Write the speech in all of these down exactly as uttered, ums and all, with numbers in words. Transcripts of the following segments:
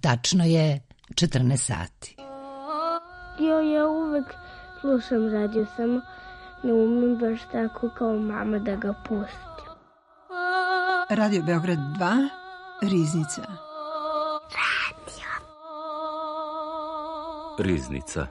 Tačno je četrnaest sati. Jo, ja uvek slušam radio, samo ne umem baš tako kao mama da ga pustim. Radio Beograd dva, Riznica. Radio. Riznica.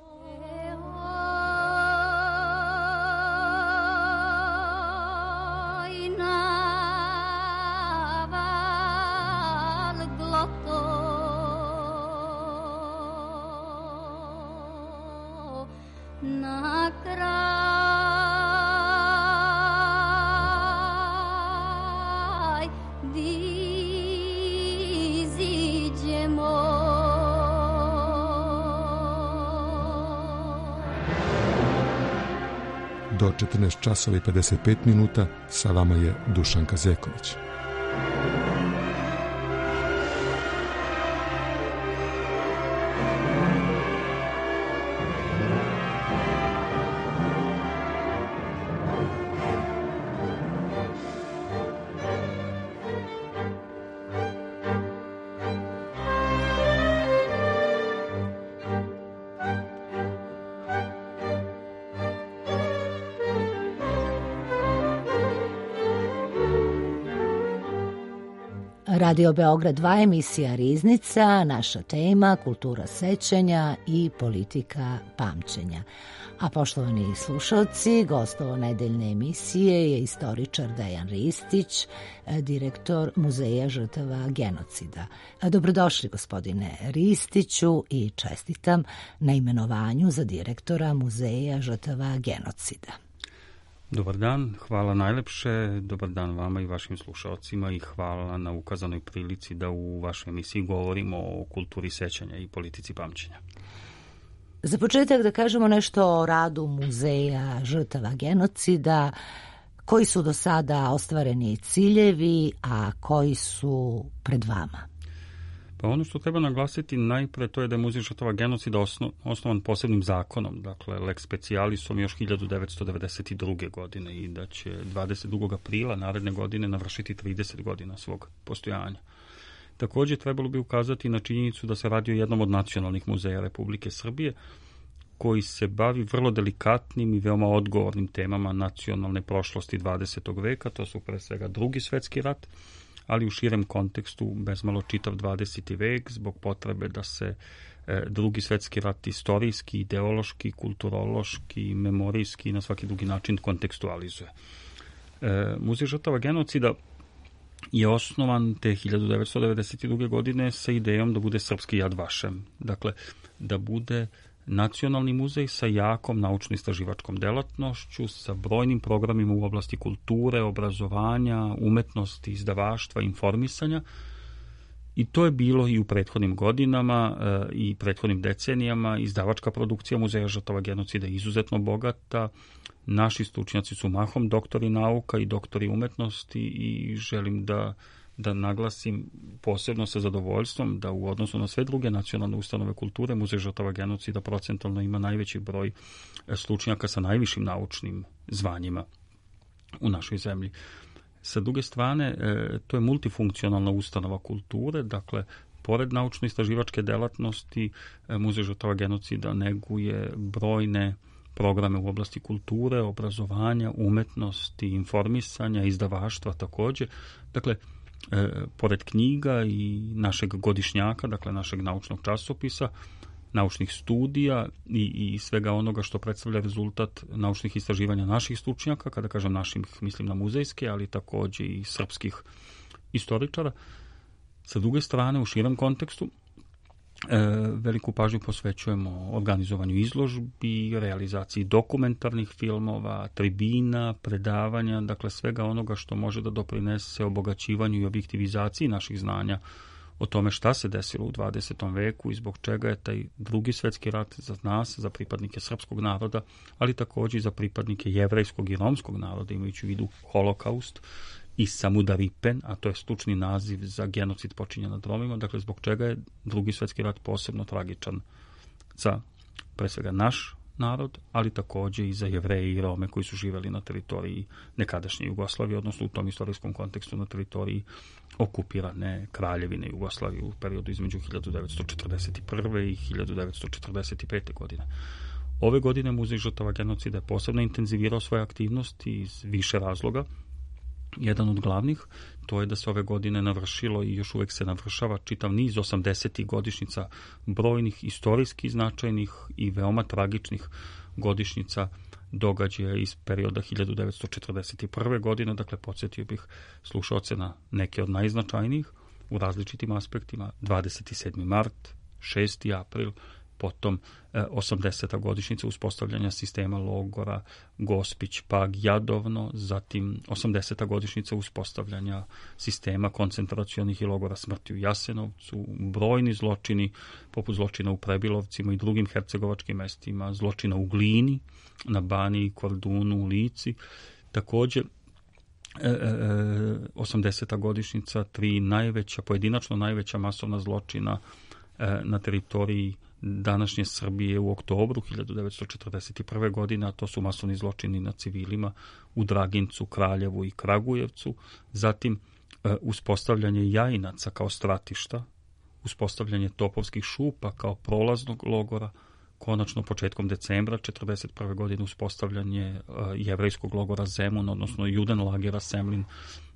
Do četrnaest časova i pedeset pet minuta sa vama je Dušan Kazeković. Radio Beograd dva, emisija Riznica, naša tema kultura sećanja i politika pamćenja. A poštovani slušalci, gostovo nedeljne emisije je istoričar Dejan Ristić, direktor Muzeja žrtava genocida. Dobrodošli, gospodine Ristiću, i čestitam na imenovanju za direktora Muzeja žrtava genocida. Dobar dan, hvala najlepše, dobar dan vama i vašim slušalcima i hvala na ukazanoj prilici da u vašoj emisiji govorimo o kulturi sećanja i politici pamćenja. Za početak da kažemo nešto o radu Muzeja žrtava genocida, koji su do sada ostvareni ciljevi, a koji su pred vama. Pa ono što treba naglasiti najpre to je da je Muzej žrtava genocida osno, osnovan posebnim zakonom, dakle lex specialisom još hiljadu devetsto devedeset druge. godine i da će dvadeset drugog aprila naredne godine navršiti trideset godina svog postojanja. Također trebalo bi ukazati na činjenicu da se radi o jednom od nacionalnih muzeja Republike Srbije koji se bavi vrlo delikatnim i veoma odgovornim temama nacionalne prošlosti dvadesetog veka, to su pre svega Drugi svetski rat, ali u širem kontekstu bezmalo čitav dvadeseti vek zbog potrebe da se e, Drugi svetski rat istorijski, ideološki, kulturološki, memorijski i na svaki drugi način kontekstualizuje. E, Muzej žrtava genocida je osnovan te hiljadu devetsto devedeset druge. godine sa idejom da bude srpski Yad Vashem, dakle da bude nacionalni muzej sa jakom naučno-istraživačkom delatnošću, sa brojnim programima u oblasti kulture, obrazovanja, umetnosti, izdavaštva, informisanja. I to je bilo i u prethodnim godinama e, i prethodnim decenijama. Izdavačka produkcija Muzeja žrtava genocida je izuzetno bogata. Naši stručnjaci su mahom doktori nauka i doktori umetnosti i želim da da naglasim posebno sa zadovoljstvom da u odnosu na sve druge nacionalne ustanove kulture Muzej žrtava genocida procentalno ima najveći broj stručnjaka sa najvišim naučnim zvanjima u našoj zemlji. Sa druge strane, to je multifunkcionalna ustanova kulture, dakle, pored naučno-istraživačke delatnosti, Muzej žrtava genocida neguje brojne programe u oblasti kulture, obrazovanja, umetnosti, informisanja, izdavaštva također. Dakle, E, pored knjiga i našeg godišnjaka, dakle našeg naučnog časopisa, naučnih studija i, i svega onoga što predstavlja rezultat naučnih istraživanja naših stručnjaka, kada kažem naših, mislim na muzejske, ali također i srpskih istoričara. Sa druge strane, u širem kontekstu, E, veliku pažnju posvećujemo organizovanju izložbi, realizaciji dokumentarnih filmova, tribina, predavanja, dakle svega onoga što može da doprinese obogaćivanju i objektivizaciji naših znanja o tome šta se desilo u dvadesetom veku i zbog čega je taj Drugi svetski rat za nas, za pripadnike srpskog naroda, ali također i za pripadnike jevrejskog i romskog naroda, imajući u vidu holokaust i Samudaripen, a to je stručni naziv za genocid počinjen nad Romima, dakle zbog čega je Drugi svetski rat posebno tragičan za pre svega naš narod, ali takođe i za Jevreje i Rome koji su živeli na teritoriji nekadašnje Jugoslavije, odnosno u tom istorijskom kontekstu na teritoriji okupirane Kraljevine Jugoslavije u periodu između hiljadu devetsto četrdeset prve i hiljadu devetsto četrdeset pete. godine. Ove godine Muzej žrtava genocida je posebno intenzivirao svoje aktivnosti iz više razloga. Jedan od glavnih, to je da se ove godine navršilo i još uvek se navršava čitav niz osamdesetih godišnjica brojnih istorijski značajnih i veoma tragičnih godišnjica događaja iz perioda hiljadu devetsto četrdeset prve. godine, dakle podsjetio bih slušaoce na neke od najznačajnijih u različitim aspektima, dvadeset sedmi mart, šesti april, potom e, osamdeseta godišnjica uspostavljanja sistema logora Gospić, Pag, Jadovno, zatim osamdeseta godišnjica uspostavljanja sistema koncentracionih i logora smrti u Jasenovcu, brojni zločini, poput zločina u Prebilovcima i drugim hercegovačkim mestima, zločina u Glini, na Baniji, Kordunu, u Lici. Takođe, E, e, osamdeseta godišnjica, tri najveća, pojedinačno najveća masovna zločina e, na teritoriji današnje Srbije u oktobru hiljadu devetsto četrdeset prve. godine, a to su masovni zločini na civilima u Dragincu, Kraljevu i Kragujevcu, zatim e, uspostavljanje Jajinaca kao stratišta, uspostavljanje Topovskih šupa kao prolaznog logora, konačno početkom decembra četrdeset prve. godine uspostavljanje uh, jevrejskog logora Zemun, odnosno Judenlagera Semlin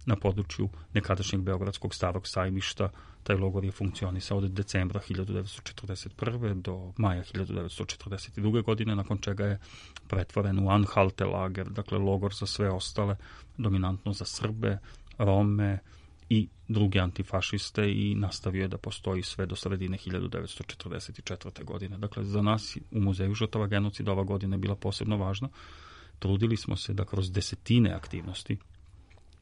na području nekadašnjeg Beogradskog starog sajmišta. Taj logor je funkcionisao od decembra hiljadu devetsto četrdeset prve. do maja hiljadu devetsto četrdeset druge. godine, nakon čega je pretvoren u Anhalte lager, dakle logor za sve ostale, dominantno za Srbe, Rome i druge antifašiste, i nastavio je da postoji sve do sredine hiljadu devetsto četrdeset četvrte. godine. Dakle, za nas u Muzeju žrtava genocida ova godina je bila posebno važna. Trudili smo se da kroz desetine aktivnosti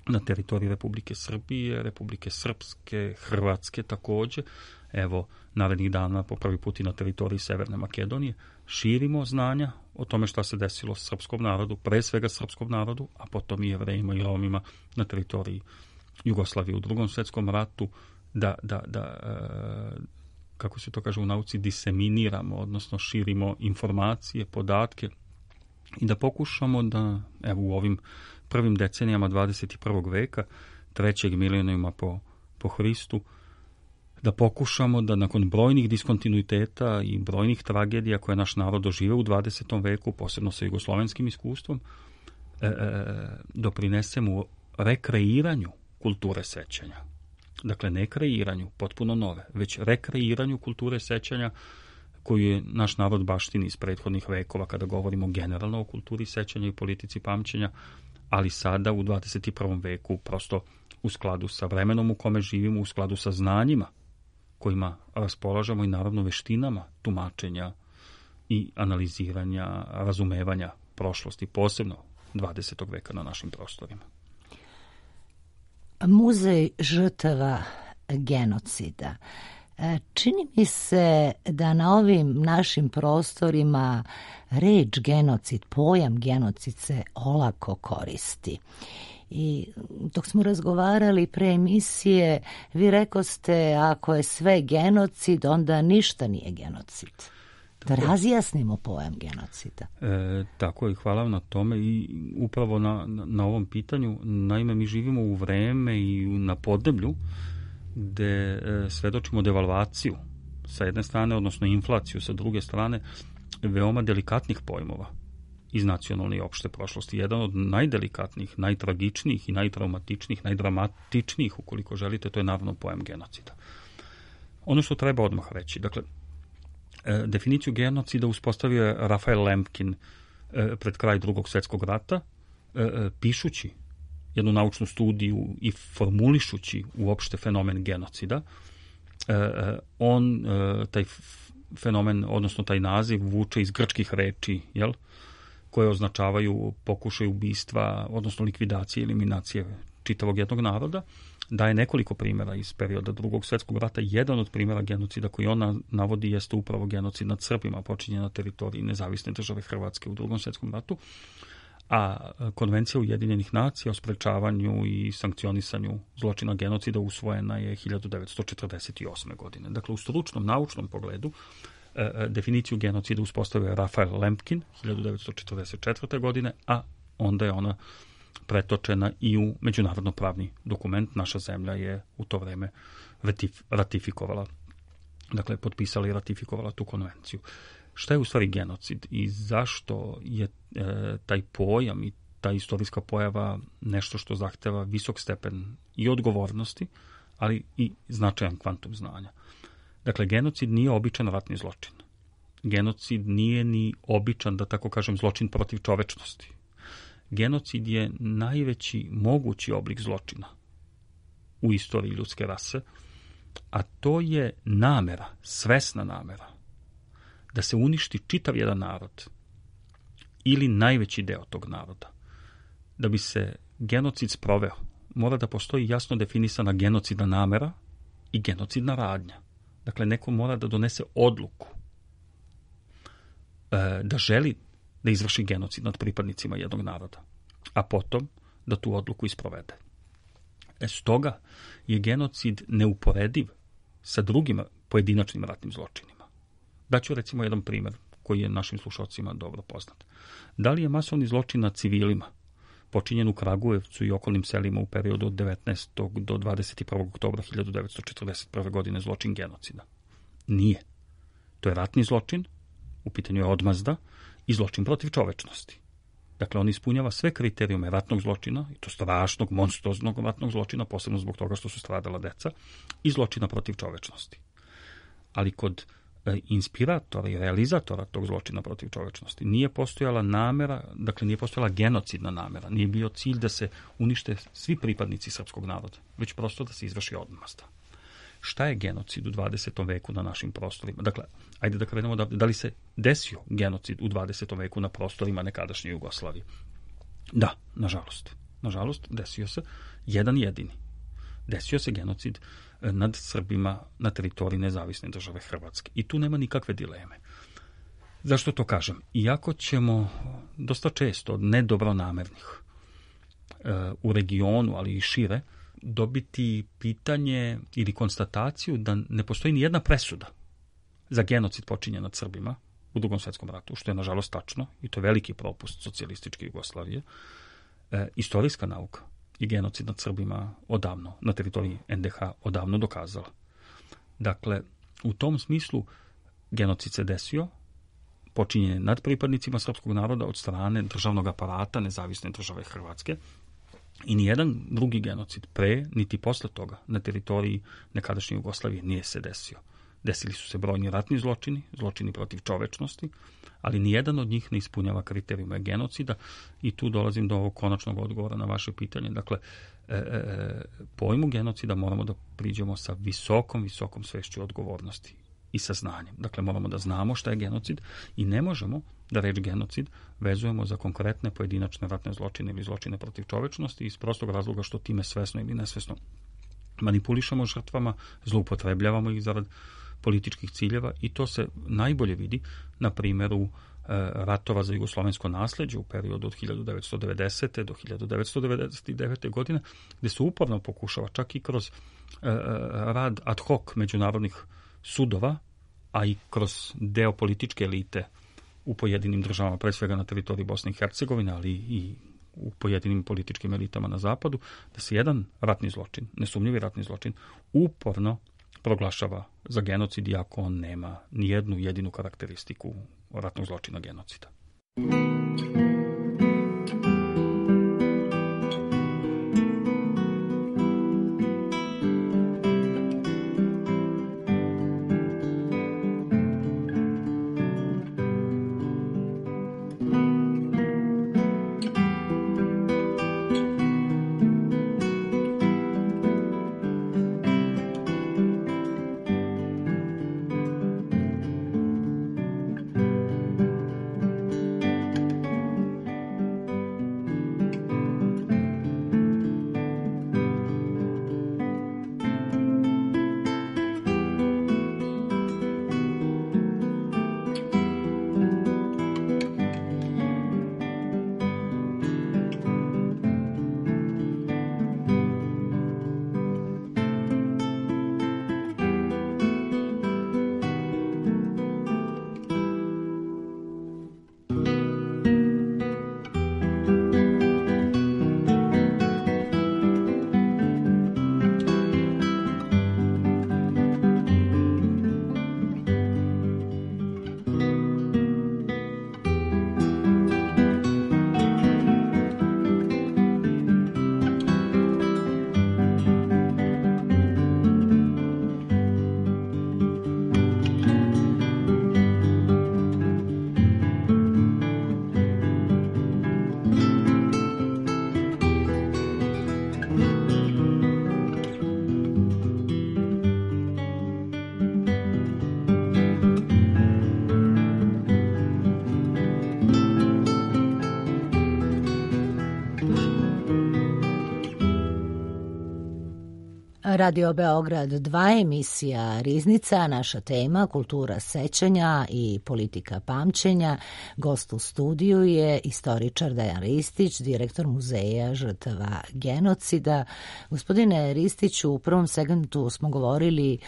na teritoriji Republike Srbije, Republike Srpske, Hrvatske takođe, evo, narednih dana po prvi put i na teritoriji Severne Makedonije, širimo znanja o tome šta se desilo srpskom narodu, pre svega srpskom narodu, a potom i Jevrejima i Romima na teritoriji Jugoslavije u Drugom svetskom ratu, da, da, da kako se to kaže u nauci, diseminiramo, odnosno širimo informacije, podatke i da pokušamo da, evo, u ovim prvim decenijama dvadeset prvog. veka, trećeg milenijuma po, po Hristu, da pokušamo da nakon brojnih diskontinuiteta i brojnih tragedija koje naš narod doživeo u dvadesetom veku, posebno sa jugoslovenskim iskustvom, e, e, doprinesemo rekreiranju kulture sećanja. Dakle, ne kreiranju potpuno nove, već rekreiranju kulture sećanja koju je naš narod baštini iz prethodnih vekova, kada govorimo generalno o kulturi sećanja i politici pamćenja, ali sada u dvadeset prvom. veku prosto u skladu sa vremenom u kome živimo, u skladu sa znanjima kojima raspolažemo i naravno veštinama tumačenja i analiziranja, razumevanja prošlosti, posebno dvadesetog. veka na našim prostorima. Muzej žrtava genocida. Čini mi se da na ovim našim prostorima reč genocid, pojam genocid se olako koristi. I dok smo razgovarali pre emisije, vi rekoste, ako je sve genocid, onda ništa nije genocid. Da razjasnimo pojam genocida. E, tako je, hvala vam na tome i upravo na, na, na ovom pitanju. Naime, mi živimo u vreme i na podneblju gde e, svedočimo devalvaciju sa jedne strane, odnosno inflaciju sa druge strane, veoma delikatnih pojmova iz nacionalne i opšte prošlosti. Jedan od najdelikatnijih, najtragičnijih i najtraumatičnijih, najdramatičnijih, ukoliko želite, to je naravno pojam genocida. Ono što treba odmah reći, dakle, e, definiciju genocida uspostavio je Rafael Lemkin e, pred kraj Drugog svjetskog rata, e, e, pišući jednu naučnu studiju i formulišući uopšte fenomen genocida. E, on, e, taj fenomen, odnosno taj naziv, vuče iz grčkih reči, jel, koje označavaju pokušaj ubistva, odnosno likvidacije, eliminacije čitavog jednog naroda. Daje nekoliko primjera iz perioda Drugog svjetskog rata. Jedan od primjera genocida koji on navodi jeste upravo genocid nad Srbima, počinjen na teritoriji nezavisne države Hrvatske u Drugom svjetskom ratu. A Konvencija Ujedinjenih nacija o sprečavanju i sankcionisanju zločina genocida usvojena je hiljadu devetsto četrdeset osme. godine. Dakle, u stručnom, naučnom pogledu e, definiciju genocida uspostavio Rafael Lemkin hiljadu devetsto četrdeset četvrte. godine, a onda je ona pretočena i u međunarodno pravni dokument. Naša zemlja je u to vreme ratifikovala, dakle, potpisala i ratifikovala tu konvenciju. Šta je u stvari genocid i zašto je e, taj pojam i ta istorijska pojava nešto što zahteva visok stepen i odgovornosti, ali i značajan kvantum znanja. Dakle, genocid nije običan ratni zločin. Genocid nije ni običan, da tako kažem, zločin protiv čovečnosti. Genocid je najveći mogući oblik zločina u istoriji ljudske rase, a to je namera, svesna namera, da se uništi čitav jedan narod ili najveći deo tog naroda. Da bi se genocid sproveo, mora da postoji jasno definisana genocidna namera i genocidna radnja. Dakle, neko mora da donese odluku e, da želi da izvrši genocid nad pripadnicima jednog naroda, a potom da tu odluku isprovede. E, stoga je genocid neuporediv sa drugim pojedinačnim ratnim zločinima. Daću recimo jedan primjer koji je našim slušalcima dobro poznat. Da li je masovni zločin nad civilima počinjen u Kragujevcu i okolnim selima u periodu od devetnaestog do dvadeset prvog oktobra hiljadu devetsto četrdeset prve. godine zločin genocida? Nije. To je ratni zločin, u pitanju je odmazda i zločin protiv čovečnosti. Dakle, on ispunjava sve kriterijume ratnog zločina, i to strašnog, monstruoznog ratnog zločina, posebno zbog toga što su stradala deca, i zločina protiv čovečnosti. Ali kod e, inspiratora i realizatora tog zločina protiv čovečnosti nije postojala namera, dakle nije postojala genocidna namera, nije bio cilj da se unište svi pripadnici srpskog naroda, već prosto da se izvrši odmazda. Šta je genocid u dvadesetom veku na našim prostorima? Dakle, ajde da krenemo da, da li se desio genocid u dvadesetom veku na prostorima nekadašnje Jugoslavije? Da, nažalost. Nažalost, desio se jedan jedini. Desio se genocid nad Srbima na teritoriji nezavisne države Hrvatske. I tu nema nikakve dileme. Zašto to kažem? Iako ćemo dosta često od nedobronamernih e, u regionu, ali i šire, dobiti pitanje ili konstataciju da ne postoji ni jedna presuda za genocid počinjen nad Srbima u Drugom svjetskom ratu, što je nažalost tačno i to je veliki propust socijalističke Jugoslavije. E, istorijska nauka i genocid nad Srbima odavno, na teritoriji en de ha odavno dokazala. Dakle, u tom smislu genocid se desio, počinjen je nad pripadnicima srpskog naroda od strane državnog aparata nezavisne države Hrvatske, i nijedan drugi genocid pre, niti posle toga, na teritoriji nekadašnje Jugoslavije nije se desio. Desili su se brojni ratni zločini, zločini protiv čovečnosti, ali nijedan od njih ne ispunjava kriterijume genocida i tu dolazim do ovog konačnog odgovora na vaše pitanje. Dakle, e, e, pojmu genocida moramo da priđemo sa visokom, visokom svešću odgovornosti i sa znanjem. Dakle, moramo da znamo šta je genocid i ne možemo da reč genocid vezujemo za konkretne pojedinačne ratne zločine ili zločine protiv čovečnosti iz prostog razloga što time svesno ili nesvesno manipulišemo žrtvama, zloupotrebljavamo ih zarad političkih ciljeva i to se najbolje vidi na primjeru e, ratova za jugoslovensko nasleđe u periodu od hiljadu devetsto devedesete. do hiljadu devetsto devedeset devete. godine, gde se uporno pokušava čak i kroz e, rad ad hoc međunarodnih sudova, a i kroz deo političke elite u pojedinim državama, pre svega na teritoriji Bosne i Hercegovine, ali i u pojedinim političkim elitama na zapadu, da se jedan ratni zločin, nesumnjivi ratni zločin, uporno proglašava za genocid, iako on nema ni jednu jedinu karakteristiku ratnog zločina genocida. Radio Beograd dva, emisija Riznica, naša tema kultura sećanja i politika pamćenja. Gost u studiju je istoričar Dejan Ristić, direktor Muzeja žrtava genocida. Gospodine Ristiću, u prvom segmentu smo govorili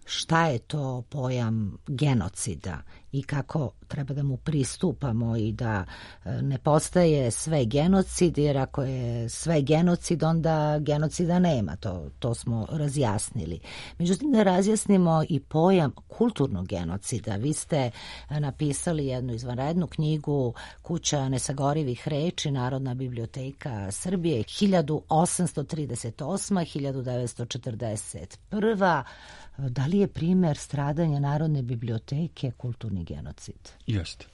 šta je to pojam genocida i kako treba da mu pristupamo i da ne postaje sve genocid, jer ako je sve genocid, onda genocida nema, to, to smo razjasnili. Međutim, da razjasnimo i pojam kulturnog genocida. Vi ste napisali jednu izvanrednu knjigu Kuća nesagorivih reči, Narodna biblioteka Srbije, hiljadu osamsto trideset osma do hiljadu devetsto četrdeset prva. Da li je primer stradanja Narodne biblioteke kulturni genocid? Jeste.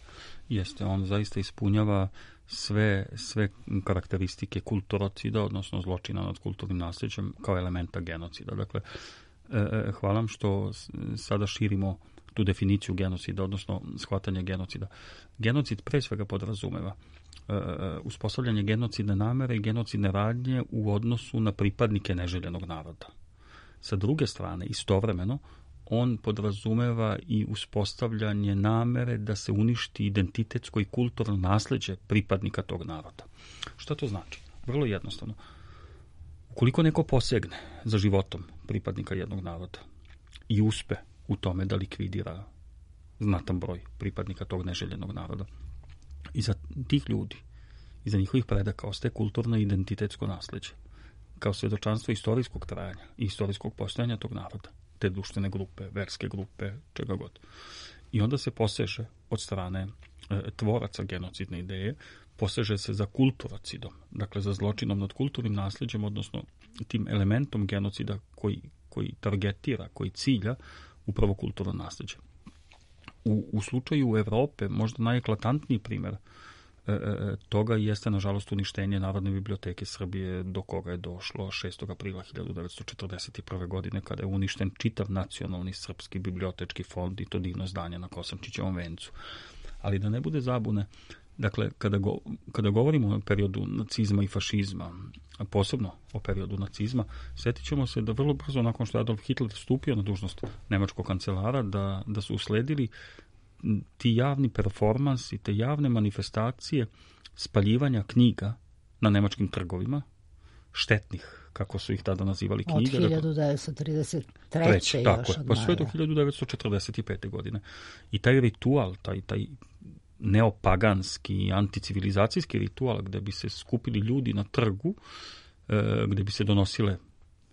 Jeste. On zaista ispunjava sve, sve karakteristike kulturocida, odnosno zločina nad kulturnim nasljeđem kao elementa genocida. Dakle, e, hvala vam što sada širimo tu definiciju genocida, odnosno shvatanje genocida. Genocid pre svega podrazumeva e, uspostavljanje genocidne namere i genocidne radnje u odnosu na pripadnike neželjenog naroda. Sa druge strane, istovremeno, on podrazumeva i uspostavljanje namere da se uništi identitetsko i kulturno nasljeđe pripadnika tog naroda. Šta to znači? Vrlo jednostavno. Ukoliko neko posegne za životom pripadnika jednog naroda i uspe u tome da likvidira znatan broj pripadnika tog neželjenog naroda, iza tih ljudi, iza njihovih predaka ostaje kulturno i identitetsko nasljeđe, kao svjedočanstvo istorijskog trajanja i istorijskog postojanja tog naroda, te društvene grupe, verske grupe, čega god. I onda se poseže od strane e, tvoraca genocidne ideje, poseže se za kulturocidom, dakle za zločinom nad kulturnim nasljeđem, odnosno tim elementom genocida koji, koji targetira, koji cilja upravo kulturno nasljeđe. U, u slučaju Evrope možda najeklatantniji primjer toga jeste, nažalost, uništenje Narodne biblioteke Srbije, do koga je došlo šestog aprila hiljadu devetsto četrdeset prve. godine, kada je uništen čitav nacionalni srpski bibliotečki fond i to divno zdanje na Kosančićevom vencu. Ali da ne bude zabune, dakle, kada, go, kada govorimo o periodu nacizma i fašizma, a posebno o periodu nacizma, sjetit ćemo se da vrlo brzo nakon što je Adolf Hitler stupio na dužnost nemačkog kancelara, da, da su usledili ti javni performansi, te javne manifestacije spaljivanja knjiga na nemačkim trgovima, štetnih, kako su ih tada nazivali knjige. Od hiljadu devetsto trideset treće. Tako još je, pa sve do hiljadu devetsto četrdeset pete. godine. I taj ritual, taj, taj neopaganski, anticivilizacijski ritual, gde bi se skupili ljudi na trgu, e, gde bi se donosile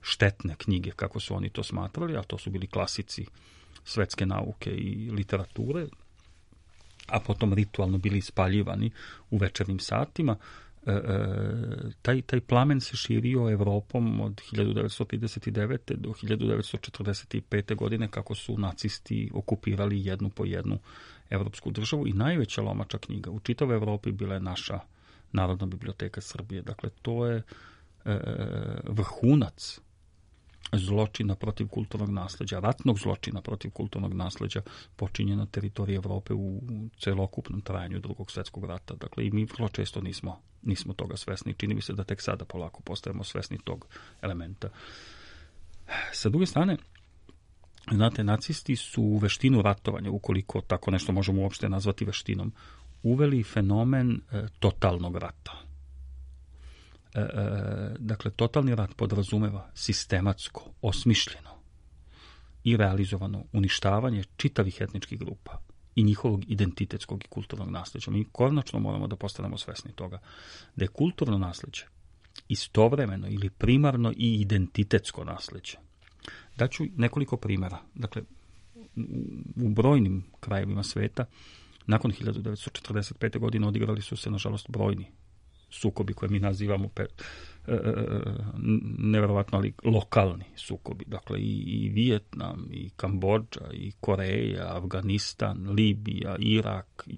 štetne knjige, kako su oni to smatrali, a to su bili klasici svetske nauke i literature, a potom ritualno bili ispaljivani u večernjim satima. E, taj, taj plamen se širio Evropom od hiljadu devetsto trideset devete. do hiljadu devetsto četrdeset pete. godine, kako su nacisti okupirali jednu po jednu evropsku državu, i najveća lomača knjiga u čitavoj Evropi bila je naša Narodna biblioteka Srbije. Dakle, to je e, vrhunac zločina protiv kulturnog nasljeđa, ratnog zločina protiv kulturnog nasljeđa počinje na teritoriji Evrope u celokupnom trajanju Drugog svjetskog rata. Dakle, i mi vrlo često nismo, nismo toga svesni. Čini mi se da tek sada polako postajemo svesni tog elementa. Sa druge strane, znate, nacisti su u veštinu ratovanja, ukoliko tako nešto možemo uopšte nazvati veštinom, uveli fenomen e, totalnog rata. E, e, dakle, totalni rat podrazumeva sistematsko, osmišljeno i realizovano uništavanje čitavih etničkih grupa i njihovog identitetskog i kulturnog nasljeđa. Mi konačno moramo da postanemo svesni toga da je kulturno nasljeđe istovremeno ili primarno i identitetsko nasljeđe. Daću nekoliko primjera. Dakle, u brojnim krajevima sveta nakon hiljadu devetsto četrdeset pete. godine odigrali su se, nažalost, brojni sukobi koje mi nazivamo pe, e, neverovatno, ali lokalni sukobi. Dakle, i, i Vijetnam, i Kambodža, i Koreja, Afganistan, Libija, Irak, i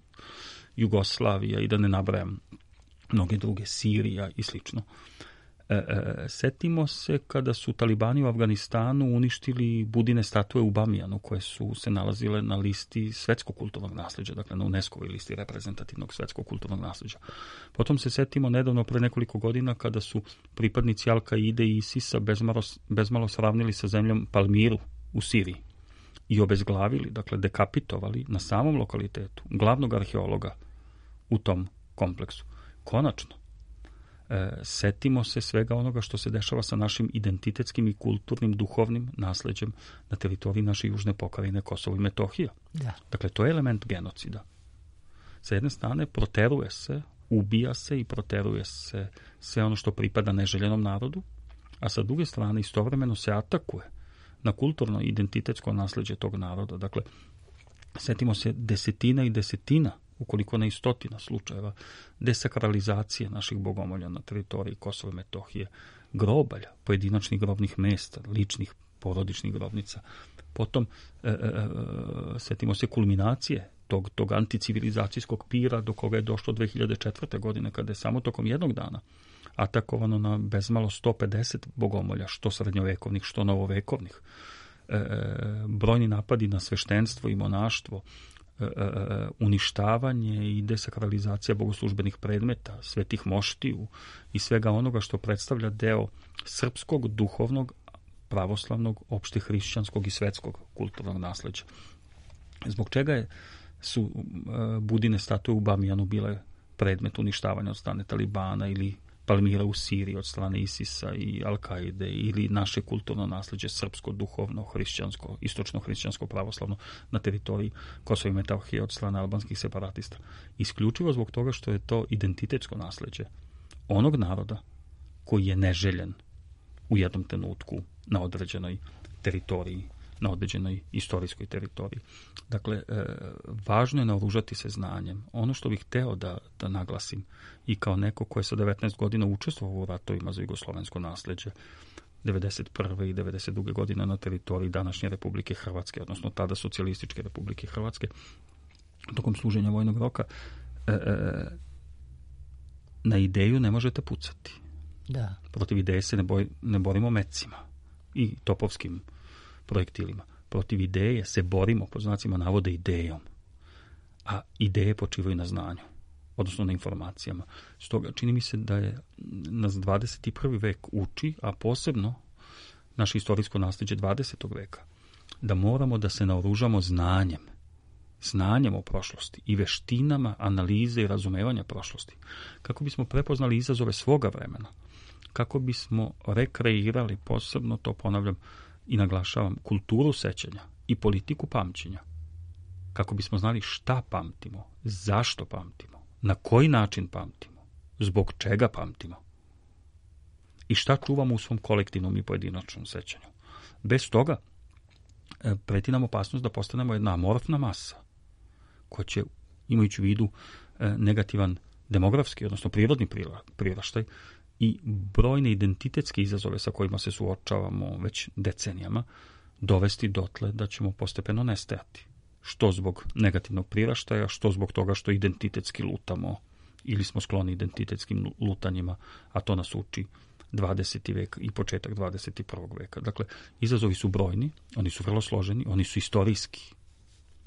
Jugoslavija, i da ne nabrajam mnoge druge, Sirija i slično. E, E, e, setimo se kada su talibani u Afganistanu uništili Budine statue u Bamijanu, koje su se nalazile na listi svetskog kulturnog nasljeđa, dakle na UNESCO-voj listi reprezentativnog svetskog kulturnog nasljeđa. Potom se setimo nedavno, pre nekoliko godina, kada su pripadnici Al-Kaide i ISIS-a bezmalo, bezmalo sravnili sa zemljom Palmiru u Siriji i obezglavili, dakle dekapitovali na samom lokalitetu glavnog arheologa u tom kompleksu. Konačno, E, setimo se svega onoga što se dešava sa našim identitetskim i kulturnim, duhovnim nasleđem na teritoriji naše južne pokrajine Kosovo i Metohija. Da. Dakle, to je element genocida. Sa jedne strane, proteruje se, ubija se i proteruje se sve ono što pripada neželjenom narodu, a sa druge strane, istovremeno se atakuje na kulturno i identitetsko nasleđe tog naroda. Dakle, setimo se desetina i desetina, ukoliko ne i stotina slučajeva desakralizacije naših bogomolja na teritoriji Kosova i Metohije, grobalja, pojedinačnih grobnih mesta, ličnih porodičnih grobnica. Potom e, e, setimo se kulminacije tog, tog anticivilizacijskog pira do koga je došlo dve hiljade četvrte. godine, kada je samo tokom jednog dana atakovano na bezmalo sto pedeset bogomolja, što srednjovekovnih, što novovekovnih. E, brojni napadi na sveštenstvo i monaštvo, Uh, uništavanje i desakralizacija bogoslužbenih predmeta, svetih moštiju i svega onoga što predstavlja deo srpskog, duhovnog, pravoslavnog, opšte hrišćanskog i svetskog kulturnog nasleđa. Zbog čega je, su uh, Budine statue u Bamijanu bile predmet uništavanja od strane Talibana ili Palmira u Siriji od strane ISIS-a i Al-Kaide, ili naše kulturno nasleđe srpsko, duhovno, hrišćansko, istočno hrišćansko, pravoslavno na teritoriji Kosova i Metohije od strane albanskih separatista. Isključivo zbog toga što je to identitetsko nasleđe onog naroda koji je neželjen u jednom trenutku na određenoj teritoriji, na određenoj istorijskoj teritoriji. Dakle, e, važno je naoružati se znanjem. Ono što bih hteo da, da naglasim, i kao neko ko je sa devetnaest godina učestvovao u ratovima za jugoslovensko nasleđe, devedeset prve i devedeset druge. godine na teritoriji današnje Republike Hrvatske, odnosno tada Socijalističke Republike Hrvatske, tokom služenja vojnog roka, e, e, na ideju ne možete pucati. Da. Protiv ideje se ne, boj, ne borimo mecima i topovskim projektilima. Protiv ideje se borimo, po znacima navode, idejom. A ideje počivaju na znanju, odnosno na informacijama. Stoga čini mi se da je nas dvadeset prvi. vek uči, a posebno naše istorijsko nasleđe dvadesetog. veka, da moramo da se naoružamo znanjem, znanjem o prošlosti i veštinama analize i razumevanja prošlosti, kako bismo prepoznali izazove svoga vremena, kako bismo rekreirali, posebno to ponavljam i naglašavam, kulturu sećanja i politiku pamćenja, kako bismo znali šta pamtimo, zašto pamtimo, na koji način pamtimo, zbog čega pamtimo i šta čuvamo u svom kolektivnom i pojedinačnom sećanju. Bez toga preti nam opasnost da postanemo jedna amorfna masa koja će, imajući u vidu negativan demografski, odnosno prirodni priraštaj i brojne identitetske izazove sa kojima se suočavamo već decenijama, dovesti dotle da ćemo postepeno nestajati. Što zbog negativnog priraštaja, što zbog toga što identitetski lutamo ili smo skloni identitetskim lutanjima, a to nas uči dvadeseti. vek i početak dvadeset prvog. veka. Dakle, izazovi su brojni, oni su vrlo složeni, oni su istorijski,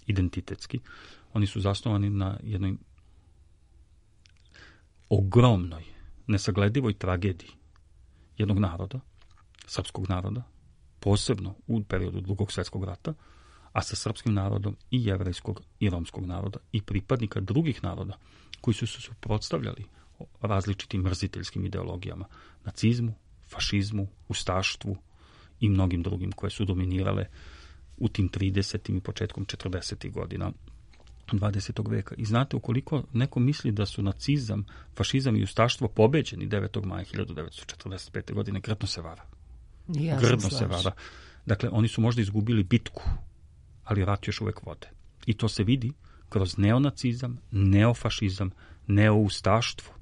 identitetski, oni su zasnovani na jednoj ogromnoj, nesagledivoj tragediji jednog naroda, srpskog naroda, posebno u periodu Drugog svjetskog rata, a sa srpskim narodom i jevrejskog i romskog naroda i pripadnika drugih naroda koji su se suprotstavljali različitim mrziteljskim ideologijama, nacizmu, fašizmu, ustaštvu i mnogim drugim koje su dominirale u tim tridesetim i početkom četrdesetih. godina dvadesetog. veka. I znate, ukoliko neko misli da su nacizam, fašizam i ustaštvo pobeđeni devetog maja hiljadu devetsto četrdeset pete. godine, grdno se vara. Ja grdno se vara. Dakle, oni su možda izgubili bitku, ali rat još uvek vode. I to se vidi kroz neonacizam, neofašizam, neoustaštvo,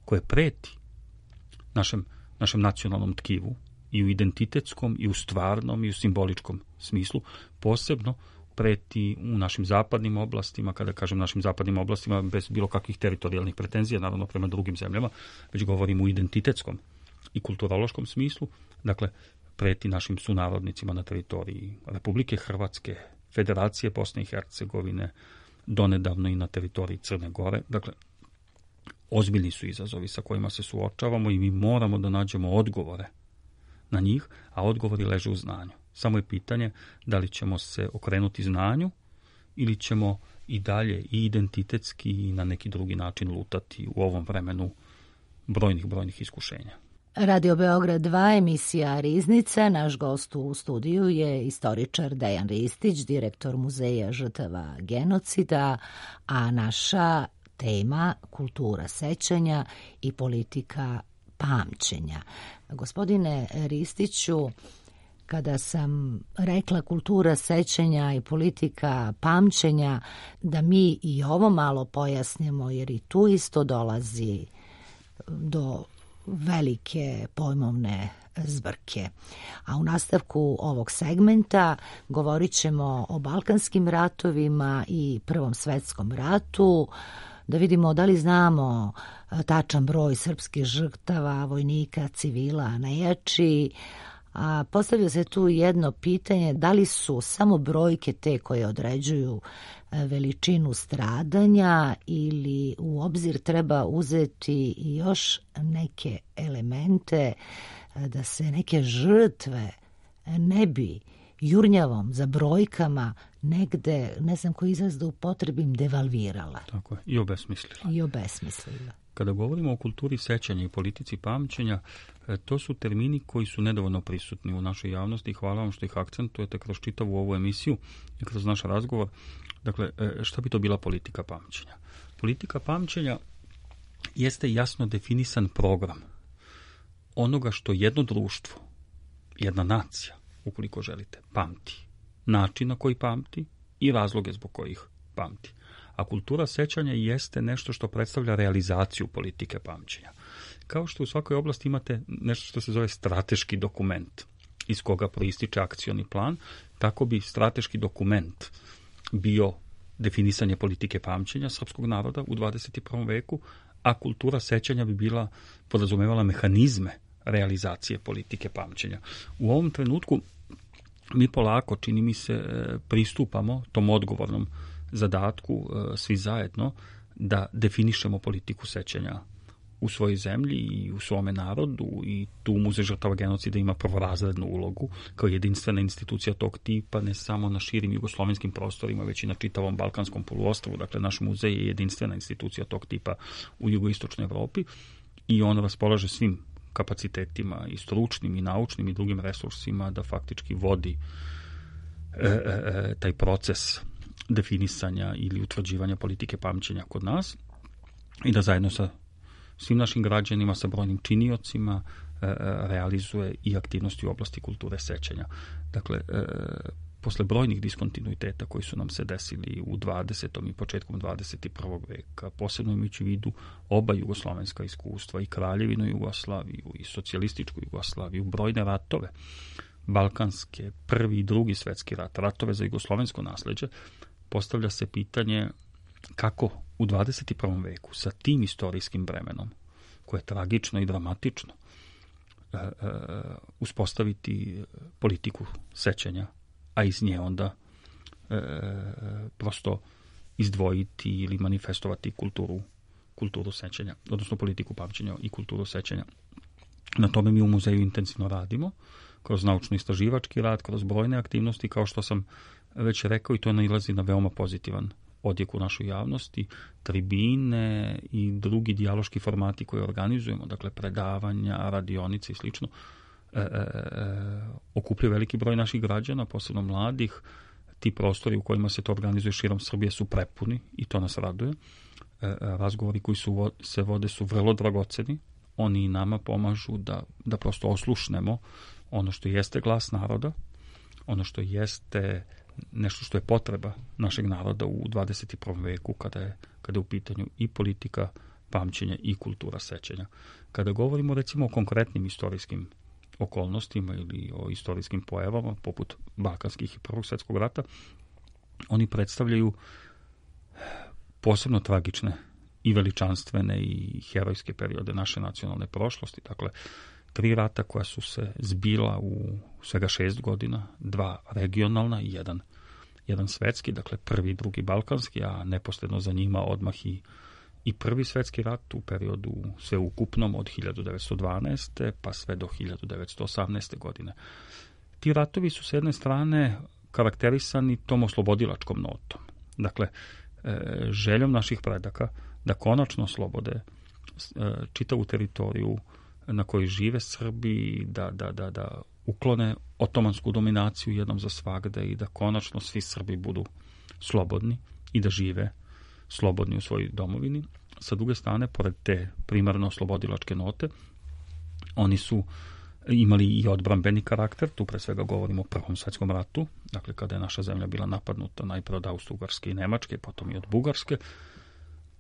koje preti našem, našem nacionalnom tkivu i u identitetskom, i u stvarnom, i u simboličkom smislu, posebno preti u našim zapadnim oblastima, kada kažem našim zapadnim oblastima, bez bilo kakvih teritorijalnih pretenzija, naravno prema drugim zemljama, već govorim u identitetskom i kulturološkom smislu, dakle, preti našim sunarodnicima na teritoriji Republike Hrvatske, Federacije Bosne i Hercegovine, donedavno i na teritoriji Crne Gore. Dakle, ozbiljni su izazovi sa kojima se suočavamo i mi moramo da nađemo odgovore na njih, a odgovori leže u znanju. Samo je pitanje da li ćemo se okrenuti znanju ili ćemo i dalje i identitetski i na neki drugi način lutati u ovom vremenu brojnih, brojnih iskušenja. Radio Beograd dva, emisija Riznica. Naš gost u studiju je istoričar Dejan Ristić, direktor Muzeja žrtava genocida, a naša tema kultura sećanja i politika pamćenja. Gospodine Ristiću, kada sam rekla kultura sećanja i politika pamćenja, da mi i ovo malo pojasnimo, jer i tu isto dolazi do velike pojmovne zbrke. A u nastavku ovog segmenta govorit ćemo o Balkanskim ratovima i Prvom svetskom ratu, da vidimo da li znamo tačan broj srpskih žrtava, vojnika, civila, nejači. A postavlja se tu jedno pitanje, da li su samo brojke te koje određuju veličinu stradanja ili u obzir treba uzeti još neke elemente da se neke žrtve ne bi jurnjavom za brojkama negde, ne znam koji izraz da upotrebim, devalvirala. Tako je, i obesmislila. I obesmislila. Kada govorimo o kulturi sećanja i politici pamćenja, to su termini koji su nedovoljno prisutni u našoj javnosti i hvala vam što ih akcentujete kroz čitavu ovu emisiju i kroz naš razgovor. Dakle, šta bi to bila politika pamćenja? Politika pamćenja jeste jasno definisan program onoga što jedno društvo, jedna nacija, ukoliko želite, pamti. Način na koji pamti i razloge zbog kojih pamti. A kultura sećanja jeste nešto što predstavlja realizaciju politike pamćenja. Kao što u svakoj oblasti imate nešto što se zove strateški dokument, iz koga proističe akcioni plan, tako bi strateški dokument bio definisanje politike pamćenja srpskog naroda u dvadeset prvom veku, a kultura sećanja bi bila podrazumevala mehanizme realizacije politike pamćenja. U ovom trenutku mi polako, čini mi se, pristupamo tom odgovornom zadatku svi zajedno da definišemo politiku sećanja u svojoj zemlji i u svome narodu i tu Muzej žrtava genocida ima prvorazrednu ulogu kao jedinstvena institucija tog tipa ne samo na širim jugoslovenskim prostorima, već i na čitavom Balkanskom poluostrvu. Dakle, naš muzej je jedinstvena institucija tog tipa u jugoistočnoj Evropi i on raspolaže svim kapacitetima i stručnim i naučnim i drugim resursima da faktički vodi e, e, taj proces definisanja ili utvrđivanja politike pamćenja kod nas i da zajedno sa svim našim građanima, sa brojnim činiocima e, realizuje i aktivnosti u oblasti kulture sećanja. Dakle, e, posle brojnih diskontinuiteta koji su nam se desili u dvadesetom i početkom dvadeset prvog veka, posebno imajući u vidu oba jugoslovenska iskustva, i Kraljevinu Jugoslaviju, i socijalističku Jugoslaviju, brojne ratove, balkanske, prvi i drugi svetski rat, ratove za jugoslovensko nasleđe, postavlja se pitanje kako u dvadeset prvom veku sa tim istorijskim bremenom, koje je tragično i dramatično, e, e, uspostaviti politiku sećanja, a iz nje onda e, prosto izdvojiti ili manifestovati kulturu, kulturu sećanja, odnosno politiku pamćenja i kulturu sećanja. Na tome mi u muzeju intenzivno radimo, kroz naučno-istraživački rad, kroz brojne aktivnosti, kao što sam već rekao, i to nailazi na veoma pozitivan odjek u našoj javnosti, tribine i drugi dijaloški formati koje organizujemo, dakle predavanja, radionice i slično, e, e, okupljaju veliki broj naših građana, posebno mladih. Ti prostori u kojima se to organizuje širom Srbije su prepuni i to nas raduje. E, razgovori koji su, se vode su vrlo dragoceni. Oni i nama pomažu da, da prosto oslušnemo ono što jeste glas naroda, ono što jeste nešto što je potreba našeg naroda u dvadeset prvom veku kada je, kada je u pitanju i politika pamćenja i kultura sećanja. Kada govorimo recimo o konkretnim istorijskim okolnostima ili o istorijskim pojavama poput balkanskih i Prvog svjetskog rata, oni predstavljaju posebno tragične i veličanstvene i herojske periode naše nacionalne prošlosti. Dakle, tri rata koja su se zbila u svega šest godina, dva regionalna i jedan, jedan svetski, dakle prvi i drugi balkanski, a neposredno za njima odmah i, i prvi svetski rat u periodu sveukupnom od hiljadu devetsto dvanaeste pa sve do hiljadu devetsto osamnaeste. godine. Ti ratovi su s jedne strane karakterisani tom oslobodilačkom notom. Dakle, željom naših predaka da konačno oslobode čitavu teritoriju na kojoj žive Srbi, da, da, da, da uklone otomansku dominaciju jednom za svagde i da konačno svi Srbi budu slobodni i da žive slobodni u svojoj domovini. Sa druge strane, pored te primarno oslobodilačke note, oni su imali i odbrambeni karakter, tu pre svega govorimo o Prvom svetskom ratu, dakle kada je naša zemlja bila napadnuta najpre od Austro-Ugarske i Nemačke, potom i od Bugarske,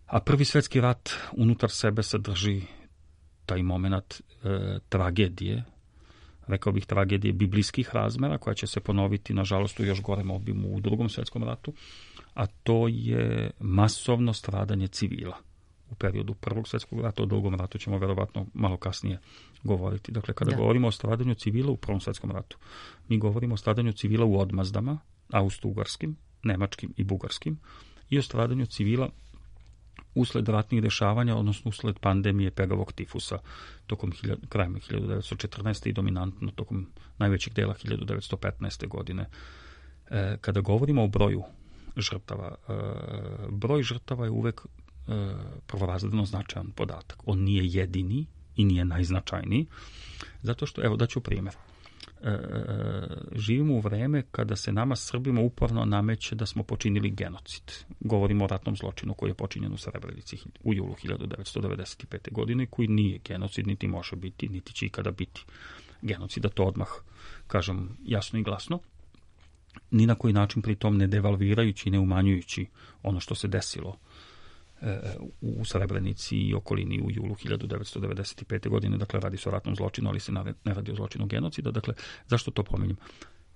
a Prvi svetski rat unutar sebe sadrži taj moment e, tragedije, rekao bih tragedije biblijskih razmera, koja će se ponoviti, nažalost, u još gorem obimu u Drugom svetskom ratu, a to je masovno stradanje civila. U periodu Prvog svjetskog rata, o Drugom ratu ćemo verovatno malo kasnije govoriti. Dakle, kada da. govorimo o stradanju civila u Prvom svjetskom ratu, mi govorimo o stradanju civila u odmazdama, austro-ugarskim, nemačkim i bugarskim, i o stradanju civila usled ratnih dešavanja, odnosno usled pandemije pegavog tifusa tokom hiljadu, krajem hiljadu devetsto četrnaeste. i dominantno tokom najvećeg dela hiljadu devetsto petnaeste. godine. E, kada govorimo o broju žrtava, e, broj žrtava je uvek e, prvorazredno značajan podatak. On nije jedini i nije najznačajniji, zato što, evo daću primjer. E, živimo u vreme kada se nama Srbima uporno nameće da smo počinili genocid. Govorimo o ratnom zločinu koji je počinjen u Srebrenici u julu hiljadu devetsto devedeset pete. godine, koji nije genocid, niti može biti, niti će ikada biti genocid, da to odmah kažem jasno i glasno. Ni na koji način pri tom ne devalvirajući i ne umanjujući ono što se desilo u Srebrenici i okolini u julu hiljadu devetsto devedeset pete. godine, dakle radi se o ratnom zločinu, ali se ne radi o zločinu genocida. Dakle, zašto to pominjem?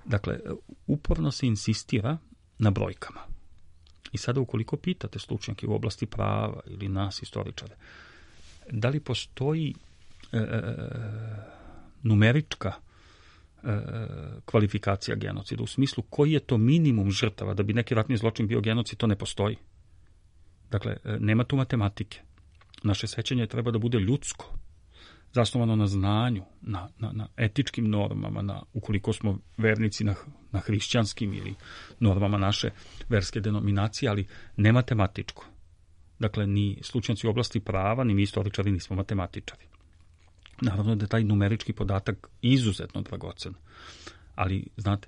Dakle, uporno se insistira na brojkama. I sada ukoliko pitate stručnjake u oblasti prava ili nas istoričare, da li postoji e, numerička e, kvalifikacija genocida, u smislu koji je to minimum žrtava da bi neki ratni zločin bio genocid, to ne postoji. Dakle, nema tu matematike. Naše sećanje treba da bude ljudsko, zasnovano na znanju, na, na, na etičkim normama, na, ukoliko smo vernici na, na hrišćanskim ili normama naše verske denominacije, ali ne matematičko. Dakle, ni stručnjaci u oblasti prava, ni mi istoričari nismo matematičari. Naravno da je taj numerički podatak izuzetno dragocen, ali, znate,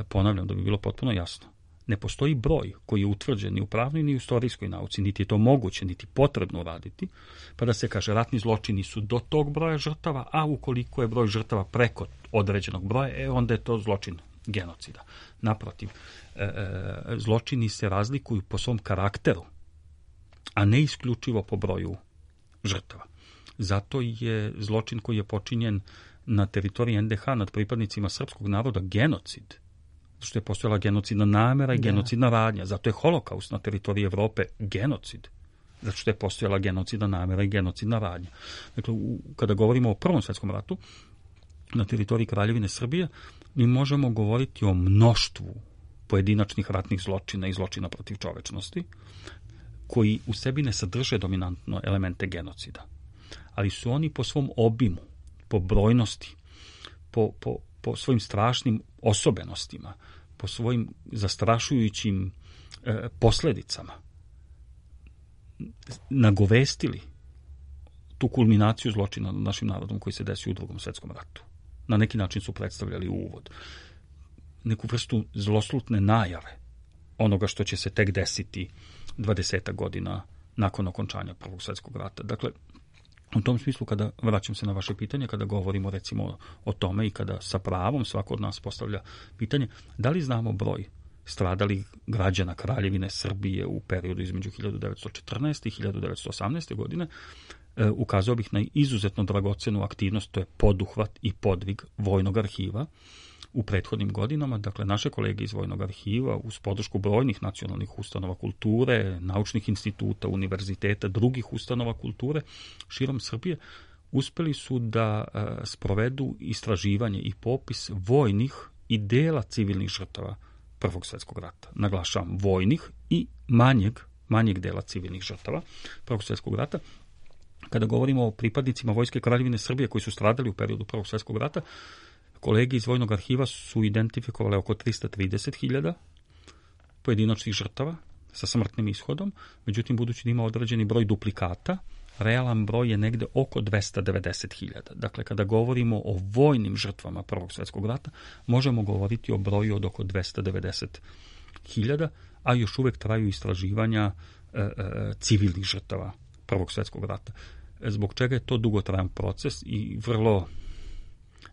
ponavljam da bi bilo potpuno jasno, ne postoji broj koji je utvrđen ni u pravnoj ni u istorijskoj nauci, niti je to moguće, niti potrebno uraditi, pa da se kaže ratni zločini su do tog broja žrtava, a ukoliko je broj žrtava preko određenog broja, e, onda je to zločin genocida. Naprotiv, e, e, zločini se razlikuju po svom karakteru, a ne isključivo po broju žrtava. Zato je zločin koji je počinjen na teritoriji en de ha nad pripadnicima srpskog naroda genocid, što je postojala genocidna namera i genocidna radnja. Zato je holokaust na teritoriji Evrope genocid. Zato što je postojala genocidna namera i genocidna radnja. Dakle, u, kada govorimo o Prvom svjetskom ratu, na teritoriji Kraljevine Srbije, mi možemo govoriti o mnoštvu pojedinačnih ratnih zločina i zločina protiv čovečnosti, koji u sebi ne sadrže dominantno elemente genocida. Ali su oni po svom obimu, po brojnosti, po, po po svojim strašnim osobenostima, po svojim zastrašujućim e, posljedicama nagovestili tu kulminaciju zločina nad našim narodom koji se desio u Drugom svjetskom ratu. Na neki način su predstavljali uvod, neku vrstu zloslutne najave onoga što će se tek desiti dvadesetak godina nakon okončanja Prvog svjetskog rata. Dakle, u tom smislu, kada vraćam se na vaše pitanje, kada govorimo recimo o tome i kada sa pravom svako od nas postavlja pitanje, da li znamo broj stradalih građana Kraljevine Srbije u periodu između hiljadu devetsto četrnaeste. i hiljadu devetsto osamnaeste. godine, e, ukazao bih na izuzetno dragocenu aktivnost, to je poduhvat i podvig Vojnog arhiva u prethodnim godinama. Dakle, naše kolege iz Vojnog arhiva uz podršku brojnih nacionalnih ustanova kulture, naučnih instituta, univerziteta, drugih ustanova kulture širom Srbije uspeli su da e, sprovedu istraživanje i popis vojnih i dela civilnih žrtava Prvog svjetskog rata. Naglašavam, vojnih i manjeg, manjeg dela civilnih žrtava Prvog svjetskog rata. Kada govorimo o pripadnicima Vojske Kraljevine Srbije koji su stradali u periodu Prvog svjetskog rata, kolege iz Vojnog arhiva su identifikovali oko tristo trideset hiljada pojedinačnih žrtava sa smrtnim ishodom, međutim, budući da ima određeni broj duplikata, realan broj je negde oko dvesta devedeset hiljada. Dakle, kada govorimo o vojnim žrtvama Prvog svjetskog rata, možemo govoriti o broju od oko dvesta devedeset hiljada, a još uvek traju istraživanja e, e, civilnih žrtava Prvog svjetskog rata. Zbog čega je to dugotrajan proces i vrlo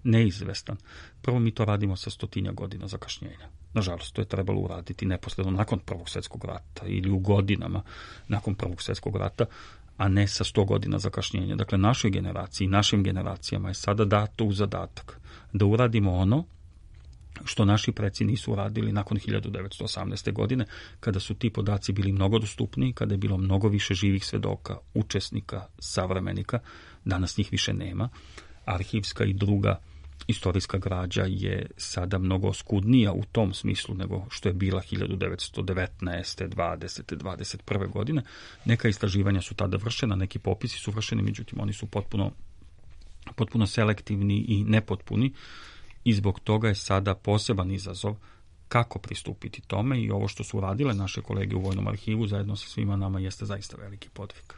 neizvestan. Prvo, mi to radimo sa stotinja godina zakašnjenja. Nažalost, to je trebalo uraditi neposredno nakon Prvog svjetskog rata ili u godinama nakon Prvog svjetskog rata, a ne sa sto godina zakašnjenja. Dakle, našoj generaciji, našim generacijama je sada dato u zadatak da uradimo ono što naši preci nisu uradili nakon hiljadu devetsto osamnaeste. godine, kada su ti podaci bili mnogo dostupniji, kada je bilo mnogo više živih svedoka, učesnika, savremenika. Danas njih više nema. Arhivska i druga istorijska građa je sada mnogo oskudnija u tom smislu nego što je bila hiljadu devetsto devetnaeste, dvadesete, dvadeset prve. godine. Neka istraživanja su tada vršena, neki popisi su vršeni, međutim oni su potpuno, potpuno selektivni i nepotpuni i zbog toga je sada poseban izazov kako pristupiti tome i ovo što su radile naše kolege u Vojnom arhivu zajedno sa svima nama jeste zaista veliki podvig.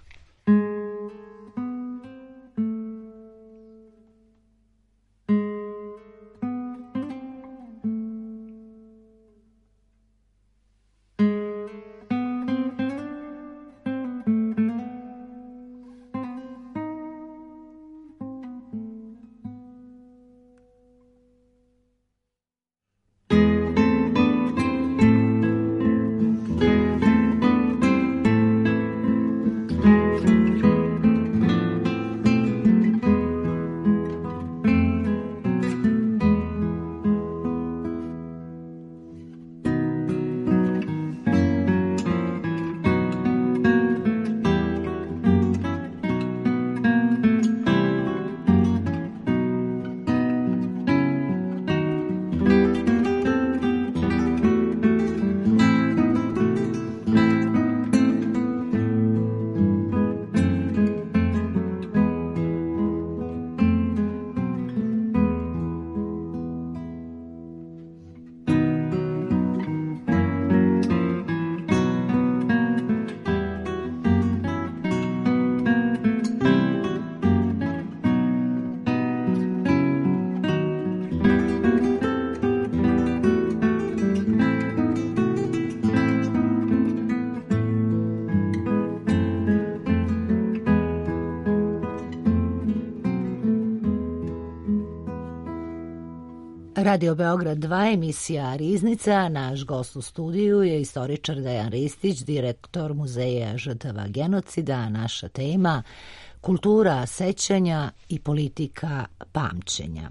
Radio Beograd dva, emisija Riznica. Naš gost u studiju je istoričar Dejan Ristić, direktor Muzeja žrtava genocida. Naša tema kultura sećanja i politika pamćenja.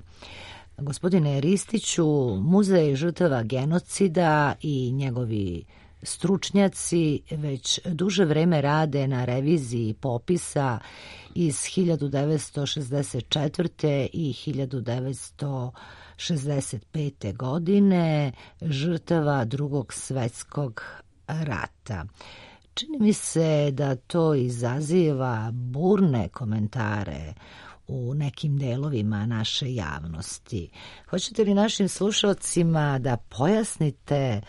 Gospodine Ristiću, Muzej žrtava genocida i njegovi stručnjaci već duže vreme rade na reviziji popisa iz hiljadu devetsto šezdeset četvrte. i hiljadu devetsto šezdeset pete. godine žrtava Drugog svjetskog rata. Čini mi se da to izaziva burne komentare u nekim delovima naše javnosti. Hoćete li našim slušalcima da pojasnite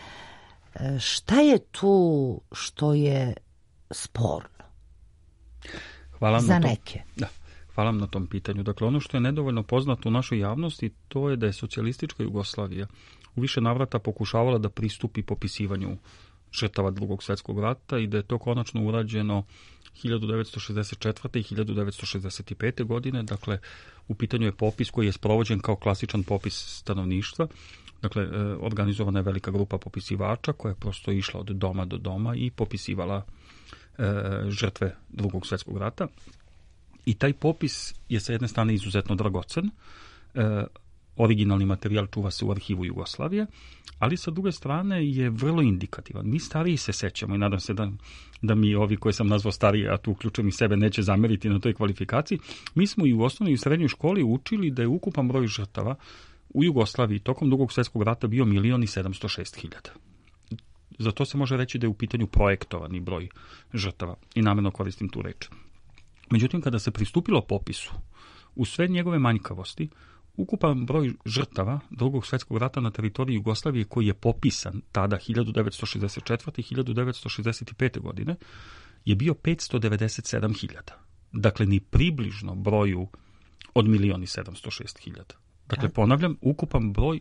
šta je tu što je sporno? Hvala za na neke. Da. Hvala vam na tom pitanju. Dakle, ono što je nedovoljno poznato u našoj javnosti, to je da je socijalistička Jugoslavija u više navrata pokušavala da pristupi popisivanju žrtava Drugog svjetskog rata i da je to konačno urađeno hiljadu devetsto šezdeset četvrte. i hiljadu devetsto šezdeset pete. godine. Dakle, u pitanju je popis koji je sprovođen kao klasičan popis stanovništva. Dakle, organizovana je velika grupa popisivača koja je prosto išla od doma do doma i popisivala e, žrtve Drugog svjetskog rata. I taj popis je sa jedne strane izuzetno dragocen. E, originalni materijal čuva se u arhivu Jugoslavije, ali sa druge strane je vrlo indikativan. Mi stariji se sećamo i nadam se da, da mi ovi koji sam nazvao stariji, a tu uključujem i sebe, neće zameriti na toj kvalifikaciji. Mi smo i u osnovnoj i u srednjoj školi učili da je ukupan broj žrtava u Jugoslaviji tokom Drugog svjetskog rata bio milion i sedamsto šest hiljada. Za to se može reći da je u pitanju projektovani broj žrtava i namjerno koristim tu reč. Međutim, kada se pristupilo popisu, u sve njegove manjkavosti, ukupan broj žrtava Drugog svjetskog rata na teritoriji Jugoslavije koji je popisan tada hiljadu devetsto šezdeset četvrte. i hiljadu devetsto šezdeset pete. godine je bio petsto devedeset sedam hiljada. Dakle, ni približno broju od milion i sedamsto šest hiljada. Dakle, ponavljam, ukupan broj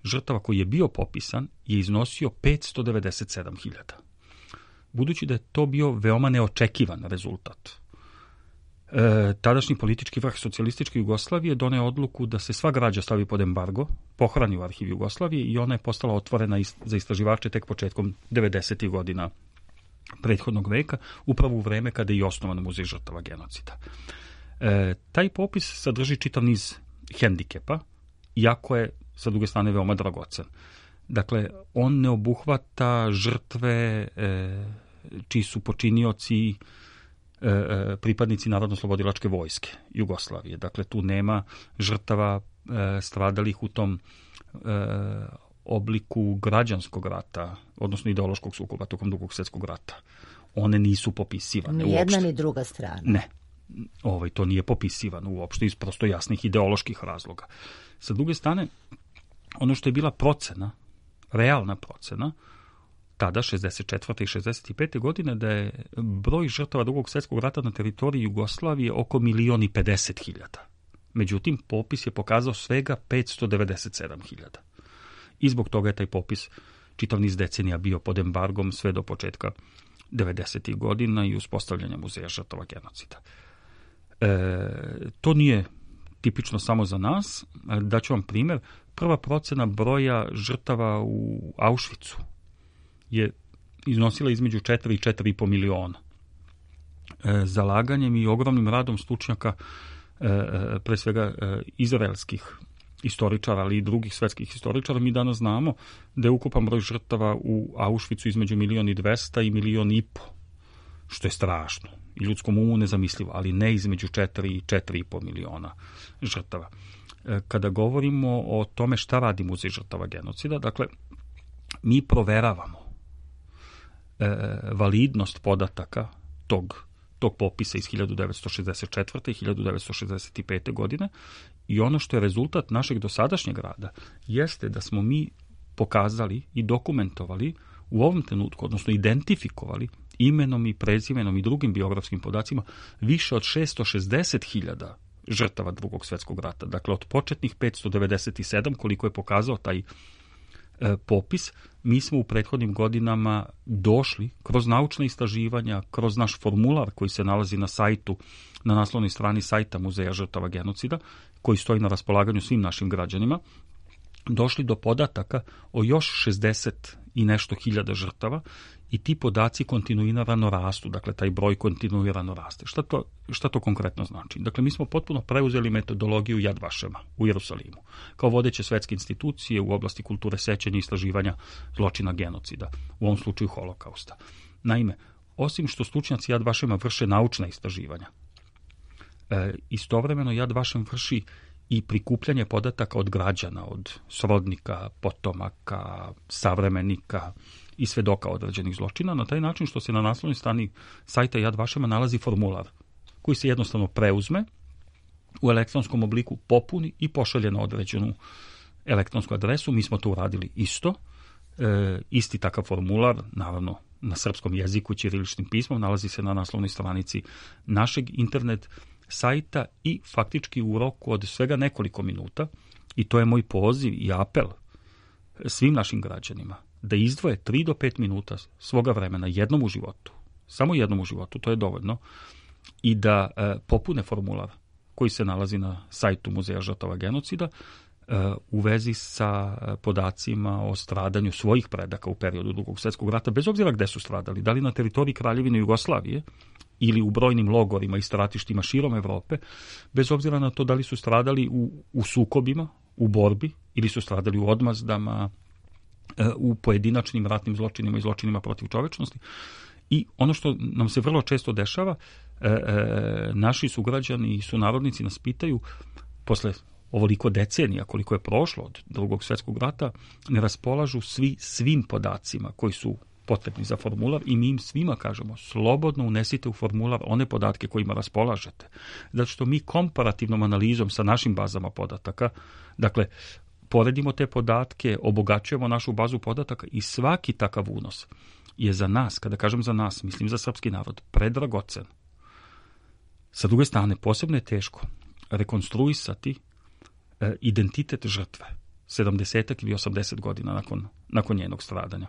žrtava koji je bio popisan je iznosio petsto devedeset sedam hiljada. Budući da je to bio veoma neočekivan rezultat, E, tadašnji politički vrh socijalističke Jugoslavije doneo odluku da se sva građa stavi pod embargo, pohrani u arhivi Jugoslavije i ona je postala otvorena ist, za istraživače tek početkom devedesetih godina prethodnog veka, upravo u vreme kada je i osnovan Muzej žrtava genocida. E, taj popis sadrži čitav niz hendikepa, iako je sa druge strane veoma dragocen. Dakle, on ne obuhvata žrtve e, čiji su počinioci pripadnici Narodno-slobodilačke vojske Jugoslavije. Dakle, tu nema žrtava e, stradalih u tom e, obliku građanskog rata, odnosno ideološkog sukoba tokom Drugog svjetskog rata. One nisu popisivane ni jedna uopšte. ni druga strana. Ne. Ovaj, to nije popisivano uopšte iz prosto jasnih ideoloških razloga. Sa druge strane, ono što je bila procena, realna procena, tada, šezdeset četvrte. i šezdeset pete. godine, da je broj žrtava Drugog svjetskog rata na teritoriji Jugoslavije oko milion i pedeset hiljada. Međutim, popis je pokazao svega petsto devedeset sedam hiljada. I zbog toga je taj popis čitav niz decenija bio pod embargom sve do početka devedesetih godina i uspostavljanja Muzeja žrtava genocida. E, to nije tipično samo za nas. Daću vam primjer. Prva procena broja žrtava u Auschwitzu je iznosila između četiri i četiri i po miliona. E, zalaganjem i ogromnim radom stručnjaka, e, pre svega e, izraelskih istoričara, ali i drugih svetskih istoričara, mi danas znamo da je ukupan broj žrtava u Auschwitzu između milion i dvesta i milion i po, što je strašno i ljudskom umu nezamislivo, ali ne između četiri i četiri i po miliona žrtava. E, kada govorimo o tome šta radi Muzej žrtava genocida, dakle, mi proveravamo validnost podataka tog, tog popisa iz hiljadu devetsto šezdeset četvrte. i hiljadu devetsto šezdeset pete. godine i ono što je rezultat našeg dosadašnjeg rada jeste da smo mi pokazali i dokumentovali u ovom trenutku, odnosno identifikovali imenom i prezimenom i drugim biografskim podacima više od šesto šezdeset hiljada žrtava Drugog svjetskog rata. Dakle, od početnih petsto devedeset sedam, koliko je pokazao taj popis, mi smo u prethodnim godinama došli kroz naučna istraživanja, kroz naš formular koji se nalazi na sajtu, na naslovnoj strani sajta Muzeja žrtava genocida, koji stoji na raspolaganju svim našim građanima, došli do podataka o još šezdeset i nešto hiljada žrtava i ti podaci kontinuirano rastu, dakle taj broj kontinuirano raste. Šta to, šta to konkretno znači? Dakle, mi smo potpuno preuzeli metodologiju Yad Vašema u Jerusalimu, kao vodeće svetske institucije u oblasti kulture sećanja i istraživanja zločina genocida, u ovom slučaju holokausta. Naime, osim što stručnjaci Yad Vašema vrše naučna istraživanja, e, istovremeno Yad Vašem vrši i prikupljanje podataka od građana, od srodnika, potomaka, savremenika i svedoka određenih zločina, na taj način što se na naslovnoj strani sajta Yad Vašema nalazi formular koji se jednostavno preuzme, u elektronskom obliku popuni i pošalje na određenu elektronsku adresu. Mi smo to uradili isto. E, isti takav formular, naravno na srpskom jeziku, ćiriličnim pismom, nalazi se na naslovnoj stranici našeg internet sajta i faktički u roku od svega nekoliko minuta, i to je moj poziv i apel svim našim građanima, da izdvoje tri do pet minuta svoga vremena jednom u životu, samo jednom u životu, to je dovoljno, i da e, popune formular koji se nalazi na sajtu Muzeja žrtava genocida e, u vezi sa podacima o stradanju svojih predaka u periodu Drugog svjetskog rata, bez obzira gde su stradali, da li na teritoriji Kraljevine Jugoslavije ili u brojnim logorima i stratištima širom Evrope, bez obzira na to da li su stradali u, u sukobima, u borbi ili su stradali u odmazdama, u pojedinačnim ratnim zločinima i zločinima protiv čovečnosti. I ono što nam se vrlo često dešava, e, e, naši sugrađani i sunarodnici nas pitaju, posle ovoliko decenija koliko je prošlo od Drugog svjetskog rata, ne raspolažu svi svim podacima koji su potrebni za formular i mi im svima kažemo, slobodno unesite u formular one podatke kojima raspolažete. Zato što mi komparativnom analizom sa našim bazama podataka, dakle, poredimo te podatke, obogaćujemo našu bazu podataka i svaki takav unos je za nas, kada kažem za nas, mislim za srpski narod, predragocen. Sa druge strane, posebno je teško rekonstruisati e, identitet žrtve sedamdeset ili osamdeset godina nakon, nakon njenog stradanja.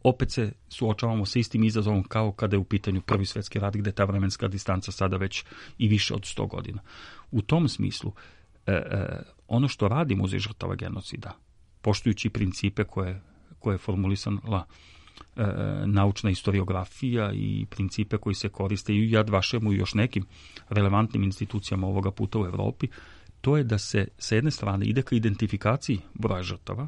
Opet se suočavamo sa istim izazovom kao kada je u pitanju Prvi svjetski rat, gde ta vremenska distanca sada već i više od sto godina. U tom smislu, e, e, ono što radi Muzej žrtava genocida, poštujući principe koje, koje je formulisala e, naučna historiografija i principe koji se koriste i u Yad Vašemu i još nekim relevantnim institucijama ovoga puta u Evropi, to je da se sa jedne strane ide ka identifikaciji broja žrtava,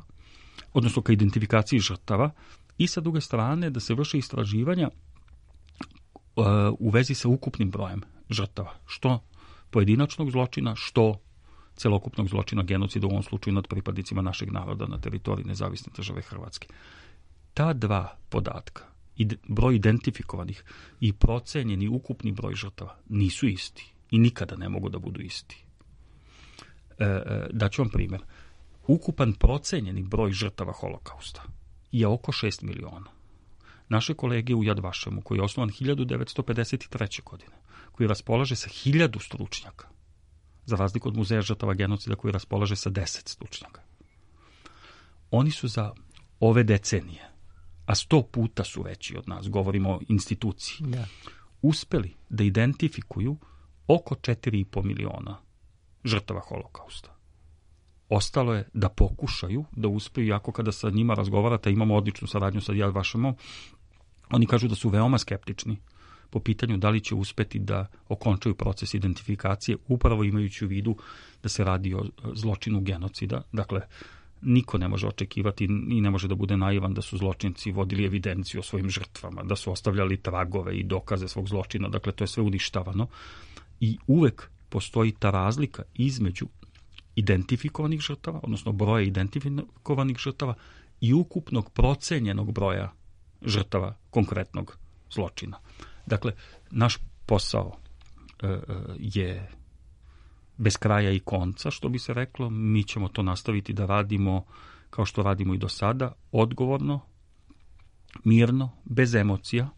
odnosno ka identifikaciji žrtava, i sa druge strane da se vrše istraživanja uh, u vezi sa ukupnim brojem žrtava, što pojedinačnog zločina, što celokupnog zločina genocida, u ovom slučaju nad pripadnicima našeg naroda na teritoriji nezavisne države Hrvatske. Ta dva podatka, ide, broj identifikovanih i procenjeni ukupni broj žrtava, nisu isti i nikada ne mogu da budu isti. E, daću vam primjer. Ukupan procenjeni broj žrtava holokausta je oko šest miliona. Naše kolege u Yad Vašemu, koji je osnovan hiljadu devetsto pedeset treće. godine, koji raspolaže sa hiljadu stručnjaka, za razliku od Muzeja žrtava genocida koji raspolaže sa deset stručnjaka. Oni su za ove decenije, a sto puta su veći od nas, govorimo o instituciji, da. uspeli da identifikuju oko četiri i po miliona žrtava holokausta. Ostalo je da pokušaju da uspeju, iako kada sa njima razgovarate, imamo odličnu saradnju sa Yad Vašemom, oni kažu da su veoma skeptični po pitanju da li će uspeti da okončaju proces identifikacije, upravo imajući u vidu da se radi o zločinu genocida. Dakle, niko ne može očekivati i ne može da bude naivan da su zločinci vodili evidenciju o svojim žrtvama, da su ostavljali tragove i dokaze svog zločina. Dakle, to je sve uništavano i uvek postoji ta razlika između identifikovanih žrtava, odnosno broja identifikovanih žrtava i ukupnog procenjenog broja žrtava konkretnog zločina. Dakle, naš posao e, je bez kraja i konca, što bi se reklo. Mi ćemo to nastaviti da radimo kao što radimo i do sada, odgovorno, mirno, bez emocija,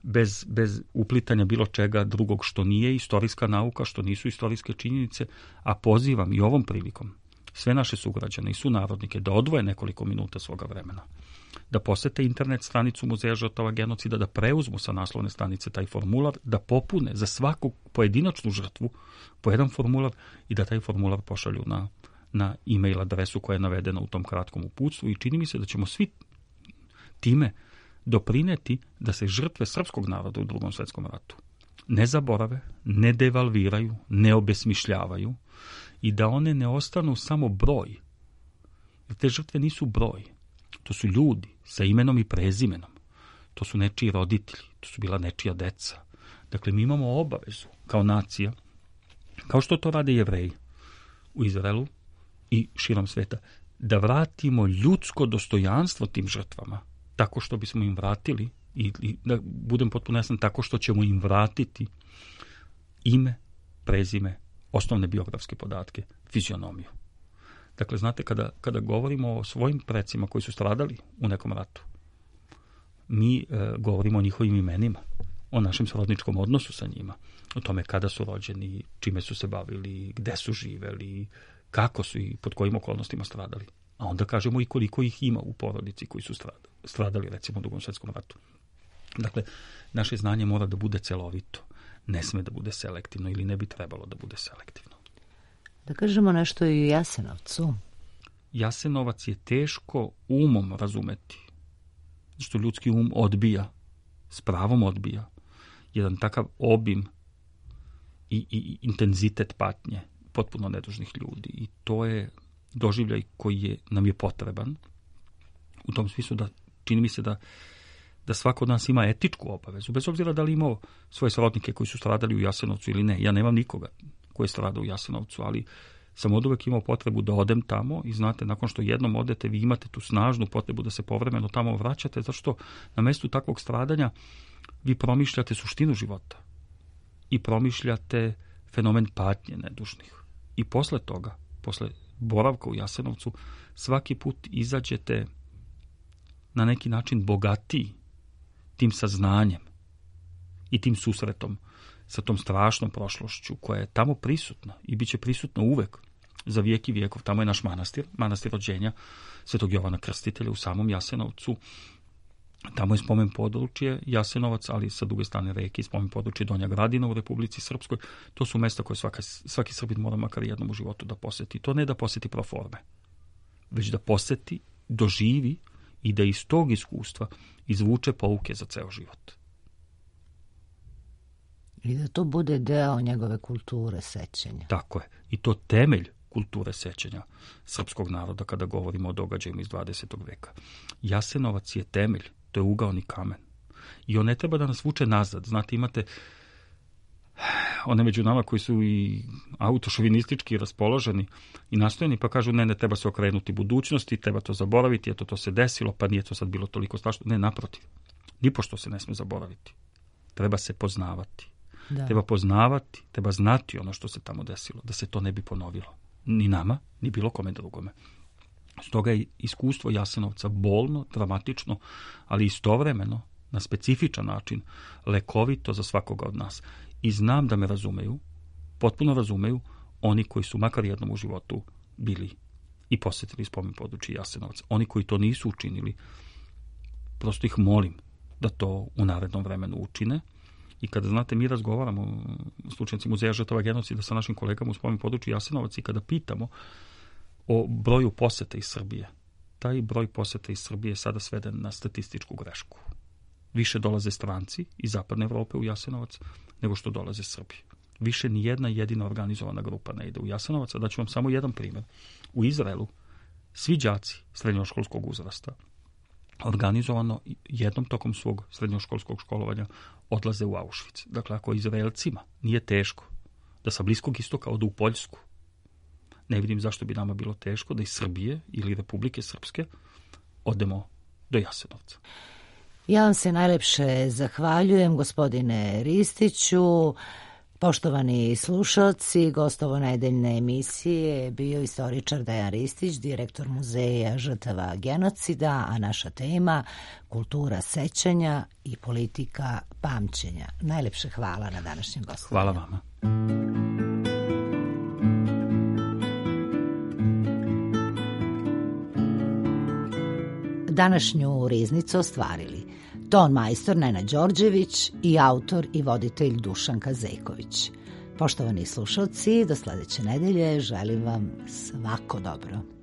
bez, bez uplitanja bilo čega drugog što nije istorijska nauka, što nisu istorijske činjenice, a pozivam i ovom prilikom sve naše sugrađane i sunarodnike da odvoje nekoliko minuta svoga vremena, da posete internet stranicu Muzeja žrtava genocida, da preuzmu sa naslovne stranice taj formular, da popune za svaku pojedinačnu žrtvu po jedan formular i da taj formular pošalju na, na e-mail adresu koja je navedena u tom kratkom uputstvu, i čini mi se da ćemo svi time doprineti da se žrtve srpskog naroda u Drugom svjetskom ratu ne zaborave, ne devalviraju, ne obesmišljavaju i da one ne ostanu samo broj. Jer te žrtve nisu broj. To su ljudi sa imenom i prezimenom. To su nečiji roditelji, to su bila nečija deca. Dakle, mi imamo obavezu kao nacija, kao što to rade Jevreji u Izraelu i širom sveta, da vratimo ljudsko dostojanstvo tim žrtvama, tako što bismo im vratili, i, i da budem potpuno jasan, tako što ćemo im vratiti ime, prezime, osnovne biografske podatke, fizionomiju. Dakle, znate, kada, kada govorimo o svojim precima koji su stradali u nekom ratu, mi e, govorimo o njihovim imenima, o našem srodničkom odnosu sa njima, o tome kada su rođeni, čime su se bavili, gde su živeli, kako su i pod kojim okolnostima stradali. A onda kažemo i koliko ih ima u porodici koji su stradali, stradali recimo u Drugom svjetskom ratu. Dakle, naše znanje mora da bude celovito, ne sme da bude selektivno ili ne bi trebalo da bude selektivno. Da kažemo nešto i o Jasenovcu. Jasenovac je teško umom razumeti, što ljudski um odbija, s pravom odbija, jedan takav obim i, i intenzitet patnje potpuno nedužnih ljudi. I to je doživljaj koji je, nam je potreban, u tom smislu da čini mi se da, da svako od nas ima etičku obavezu, bez obzira da li imao svoje srodnike koji su stradali u Jasenovcu ili ne. Ja nemam nikoga koji je stradao u Jasenovcu, ali sam od uvek imao potrebu da odem tamo i znate, nakon što jednom odete, vi imate tu snažnu potrebu da se povremeno tamo vraćate, zato što na mestu takvog stradanja vi promišljate suštinu života i promišljate fenomen patnje nedužnih. I posle toga, posle boravka u Jasenovcu, svaki put izađete na neki način bogatiji tim saznanjem i tim susretom sa tom strašnom prošlošću koja je tamo prisutna i bit će prisutna uvek za vijek i vijekov. Tamo je naš manastir, manastir rođenja Svetog Jovana Krstitelja u samom Jasenovcu. Tamo je spomen područje Jasenovac, ali sa druge strane reke, spomen područje Donja Gradina u Republici Srpskoj. To su mesta koje svaka, svaki Srbin mora makar jednom u životu da poseti. To ne da poseti pro forme, već da poseti, doživi i da iz tog iskustva izvuče pouke za ceo život. I da to bude deo njegove kulture sećanja. Tako je. I to temelj kulture sećanja srpskog naroda kada govorimo o događajima iz dvadesetog veka. Jasenovac je temelj, to je ugaoni kamen. I on ne treba da nas vuče nazad. Znate, imate one među nama koji su i autošovinistički raspoloženi i nastojeni, pa kažu ne, ne treba se okrenuti budućnosti, treba to zaboraviti, eto to se desilo, pa nije to sad bilo toliko strašno. Ne, naprotiv. Nipošto se ne sme zaboraviti. Treba se poznavati. Da. Treba poznavati, treba znati ono što se tamo desilo, da se to ne bi ponovilo. Ni nama, ni bilo kome drugome. Stoga je iskustvo Jasenovca bolno, dramatično, ali istovremeno, na specifičan način, lekovito za svakoga od nas. I znam da me razumeju, potpuno razumeju, oni koji su makar jednom u životu bili i posjetili spomen područje Jasenovca. Oni koji to nisu učinili, prosto ih molim da to u narednom vremenu učine. I kada, znate, mi razgovaramo, slučajnici Muzeja žrtava genocida sa našim kolegama u spomen području Jasenovac i kada pitamo o broju poseta iz Srbije, taj broj poseta iz Srbije je sada sveden na statističku grešku. Više dolaze stranci iz zapadne Evrope u Jasenovac nego što dolaze Srbi. Više ni jedna jedina organizovana grupa ne ide u Jasenovac. Da ću vam samo jedan primjer. U Izraelu svi đaci srednjoškolskog uzrasta organizovano jednom tokom svog srednjoškolskog školovanja odlaze u Auschwitz. Dakle, ako Izraelcima nije teško da sa Bliskog istoka odu u Poljsku, ne vidim zašto bi nama bilo teško da iz Srbije ili Republike Srpske odemo do Jasenovca. Ja vam se najlepše zahvaljujem, gospodine Ristiću. Poštovani slušalci, gost ovonedeljne emisije bio istoričar Dejan Ristić, direktor Muzeja žrtava genocida, a naša tema kultura sećanja i politika pamćenja. Najlepše hvala na današnjem gostovanju. Hvala vama. Današnju riznicu ostvarili ton majstor Nenad Đorđević i autor i voditelj Dušan Kazejković. Poštovani slušalci, do sledeće nedelje želim vam svako dobro.